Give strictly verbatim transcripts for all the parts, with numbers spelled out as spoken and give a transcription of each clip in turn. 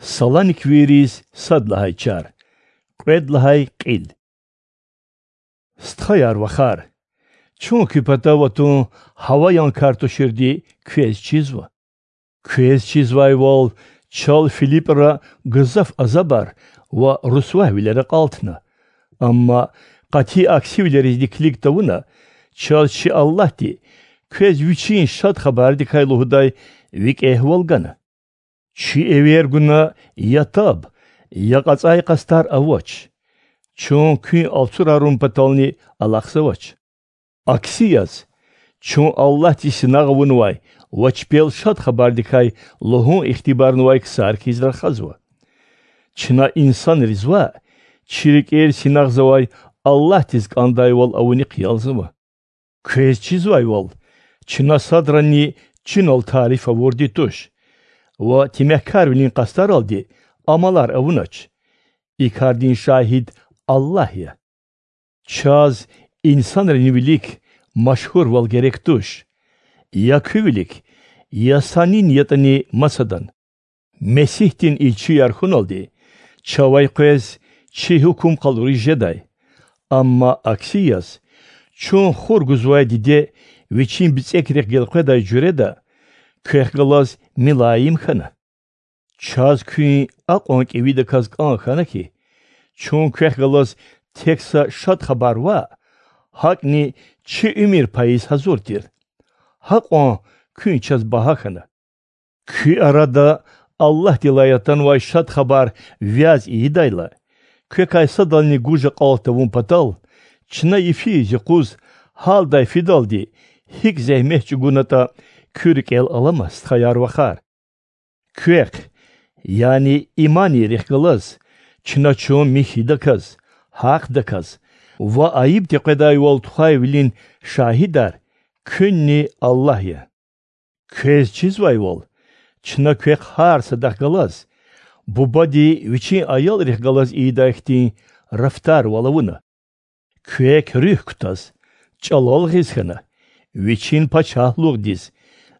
Саланиквийриз сад лагьай чар. Кьвед лагьай кьил. Стхаяр-вахар, чун куь патав атун гьаваян кар туширди квез чизва. Квез чизвайвал, чал Филипра гзаф азабар ва русвавилер акьалтна. Амма къати аксивилеризни килиг тавуна, чаз чи Аллагьди квез Вичин Шад Хабардикай лугьудай викӀегьвал гана. Чи эвер гуна я таб, я кьацӀай къастар авач. Чун куьн алцурарун патални алахъзавач. Акси яз, чун Аллагьди синагъ авунвай ва чпел Шад Хабардикай лугьун ихтибарнавай ксар хьиз рахазва. Чна инсанриз ваъ, чи рикӀер синагъзавай Аллагьдиз кӀандайвал авунихъ ялзава. Квез чизвайвал, чна садрани чинал тариф авурди туш ва темягькарвилин къастаралди амалар авунач. И кардин шагьид Аллагь я. Чаз инсанрин вилик машгьурвал герек туш: я куь вилик, я са нин ятӀани масадан. Месигьдин илчияр хьуналди, чавай къвез чи гьукум къалуриз жедай. Амма акси яз, чун хур гузвай диде вичин бицӀекрихъ гелкъведай жуьреда квехъ галаз милаим хьана. Чаз куьн акьван кӀевидаказ кӀан хьана хьи, чун квехъ галаз тек са Шад Хабар ваъ, гьакӀни чи уьмуьр пайиз гьазур тир. Гьакьван куьн чаз багьа хьана. Куь арада Аллагьдилай атанвай Шад Хабар вяз ийидайла, квекай садални гуж акьалт тавун патал, чна йифиз-юкъуз гьалдай фидалди гьикӀ зегьмет чӀугунатӀа куь рикӀел алама, стхаяр-вахар. Квехъ, яни иманийрихъ галаз, чна чун михьидаказ, гьахъдаказ ва айиб текъведайвал тухвайвилин шагьидар куьнни Аллагь я. Квез чизвайвал, чна квехъ гьар садахъ галаз бубади вичин аялрихъ галаз ийидай хьтин рафтарвал авуна. Квек руьгь кутаз, чӀалал гъиз хьана, вичин пачагьлугъдиз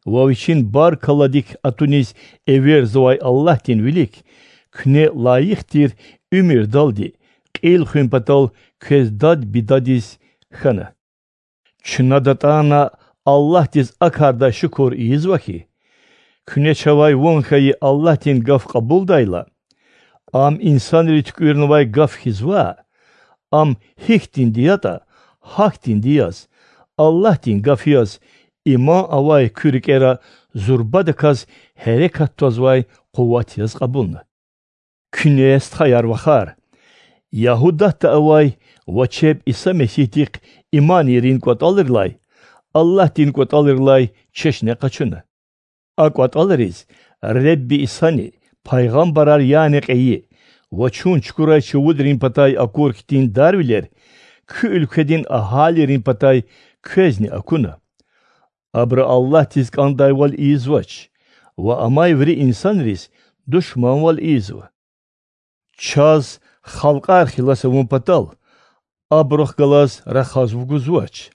ва вичин баркалладик атуниз эверзавай Аллагьдин вилик куьне лайих тир уьмуьрдалди кьил хуьн патал квез дад-бидадиз хьана. Чна датӀана Аллагьдиз а кардай шукур ийизва хьи, куьне чавай ван хьайи Аллагьдин гаф кьабулдайла, Ам инсанри туькӀуьрнавай гаф хьиз ваъ, ам гьихьтинди ятӀа, гьахьтинди яз, Аллагьдин гаф яз, иман авай куь рикӀера зурбадаказ гьерекат твазвай къуват яз кьабулна. Куьне, стхаяр-вахар, Ягьудатда авай ва чеб Иса Месигьдихъ иман ийирин кӀватӀалрилай Аллагьдин кӀватӀалрилай чешне къачуна. А кӀватӀалриз Ребби Исани, пайгъамбарар яна кьейи ва чун чукурай чувудрин патай акур хьтин дарвилер куь уьлкведин агьалийрин патай квезни акуна. Абуру Аллагьдиз кӀандайвал ийизвач ва амай вири инсанриз душманвал ийизва. Чаз халкьар хилас авун патал абурухъ галаз рахаз вугузвач.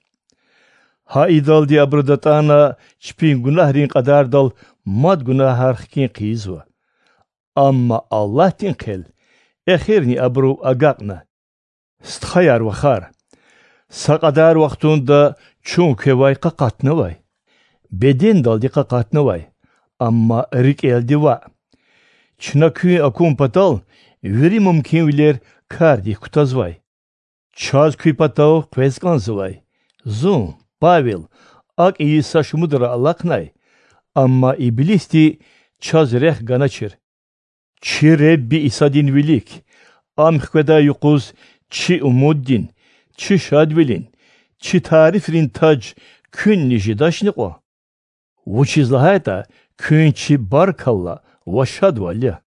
Гьа идалди абуру датӀана чпин гунагьрин кьадардал мад гунагьар хкин хъийизва. Амма Аллагьдин хъел эхирни абурув агакьна. Стхаяр-вахар, са кьадар вахтунда чун квевай къакъатнавай, бедендалди къакъатнавай, амма рикӀелди ваъ. Чна куьн акун патал вири мумкинвилер кардик кутазвай. Чаз куь патав къвез кӀанзавай. Зун, Павел, акӀ ийиз са шумудра алахънай, амма иблисди чаз рехъ ганачир. Чи Ребби Исадин вилик, Ам хкведай юкъуз чи умуддин, чи шадвилин, чи тарифрин таж куьнни жедачни кьван? Вучиз лагьайтӀа куьн чи баркалла ва шадвал я.